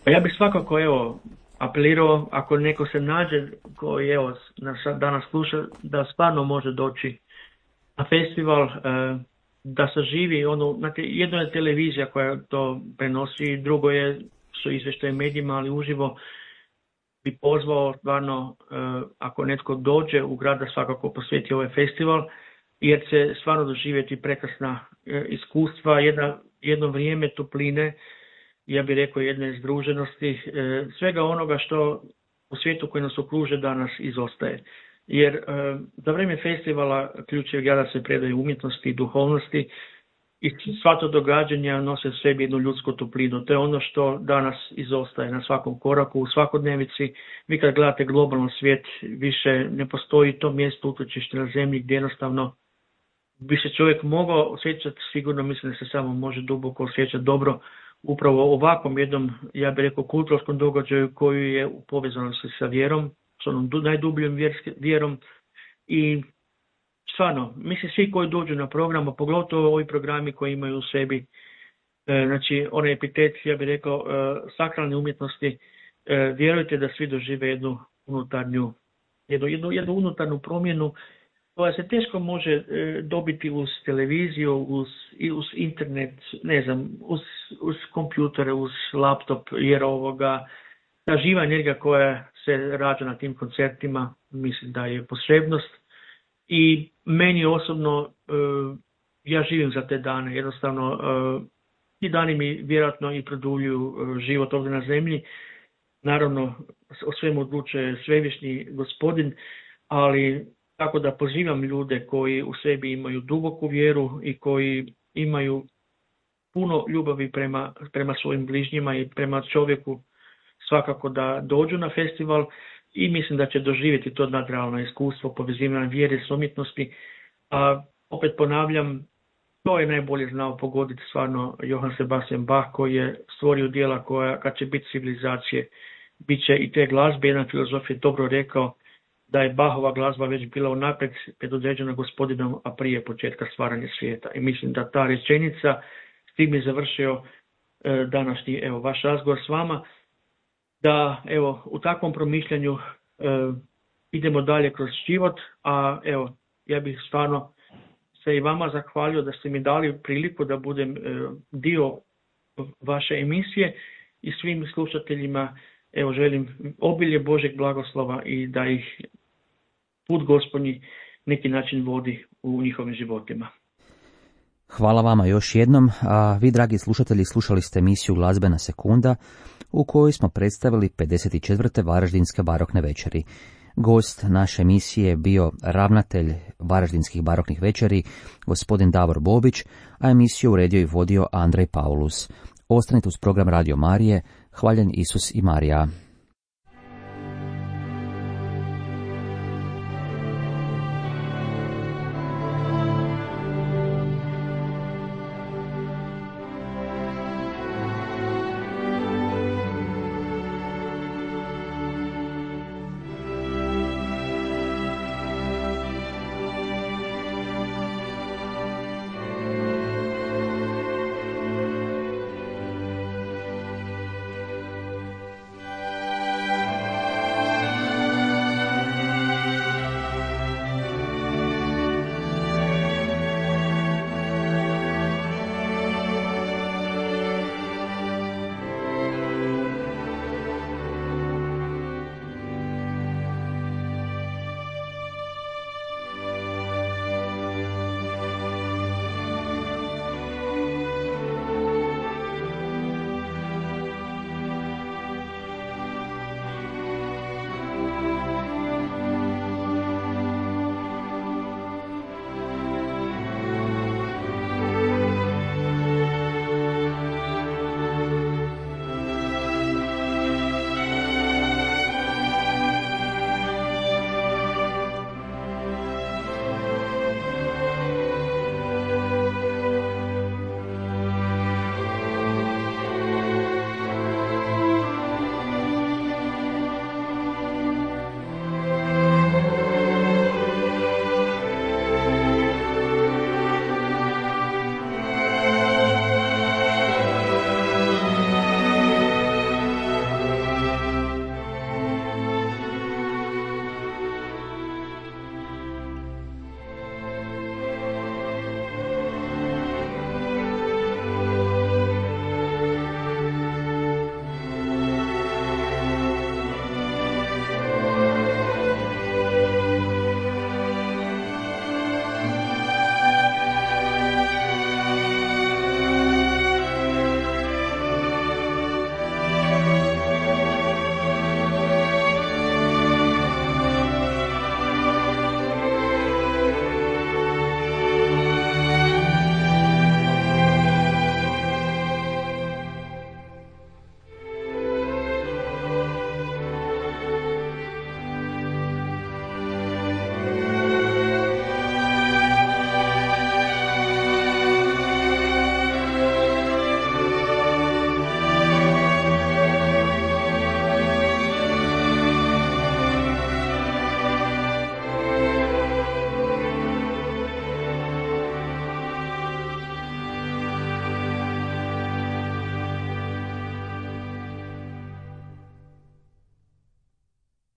Pa ja bih svakako apelirao, ako neko se nađe koji nas danas sluša, da stvarno može doći na festival, da saživi znate, jedno je televizija koja to prenosi, drugo su izvještaje medijima, ali uživo bi pozvao stvarno, ako netko dođe u grad, da svakako posveti ovaj festival, jer će stvarno doživjeti prekrasna iskustva, jedno vrijeme topline, ja bih rekao jedne združenosti, svega onoga što u svijetu koji nas okruže danas izostaje. Jer za vrijeme festivala ključevi grada se predaju umjetnosti i duhovnosti i sva to događanja nose u sebi jednu ljudsku toplinu. To je ono što danas izostaje na svakom koraku, u svakodnevici. Vi kad gledate globalno svijet, više ne postoji to mjesto utočište na zemlji gdje jednostavno bi se čovjek mogao osjećati sigurno, mislim da se samo može duboko osjećati dobro upravo ovakvom jednom, ja bih rekao, kulturskom događaju koji je u povezanosti sa vjerom, s onom najdubljom vjerom i stvarno, mislim svi koji dođu na program, a pogotovo ovi programi koji imaju u sebi, znači onaj epitet, ja bih rekao, sakralne umjetnosti, vjerujte da svi dožive jednu unutarnju promjenu koja se teško može dobiti uz televiziju, uz internet, ne znam, uz kompjutere, uz laptop, jer ta živa energija koja se rađa na tim koncertima, mislim da je posebnost. I meni osobno, ja živim za te dane, jednostavno ti dani mi vjerojatno i produljuju život ovdje na zemlji. Naravno, o svemu odlučuje svevišnji Gospodin, ali tako da pozivam ljude koji u sebi imaju duboku vjeru i koji imaju puno ljubavi prema svojim bližnjima i prema čovjeku, svakako da dođu na festival i mislim da će doživjeti to nadrealno iskustvo povezivanja vjere s umjetnosti. A opet ponavljam, to je najbolje znao pogoditi stvarno Johann Sebastian Bach, koji je stvorio djela koja, kad će biti civilizacije, bit će i te glazbe. Jedan filozof je dobro rekao da je Bachova glazba već bila unaprijed predodređena Gospodinom, a prije početka stvaranja svijeta. I mislim da ta rečenica, s tim je završio današnji vaš razgovor s vama, da u takvom promišljanju idemo dalje kroz život, a ja bih stvarno se i vama zahvalio da ste mi dali priliku da budem dio vaše emisije i svim slušateljima želim obilje Božeg blagoslova i da ih put Gospodnji neki način vodi u njihovim životima. Hvala vama još jednom, a vi, dragi slušatelji, slušali ste emisiju Glazbena sekunda u kojoj smo predstavili 54. Varaždinske barokne večeri. Gost naše emisije je bio ravnatelj Varaždinskih baroknih večeri, gospodin Davor Bobić, a emisiju uredio i vodio Andrej Paulus. Ostanite uz program Radio Marije. Hvaljen Isus i Marija.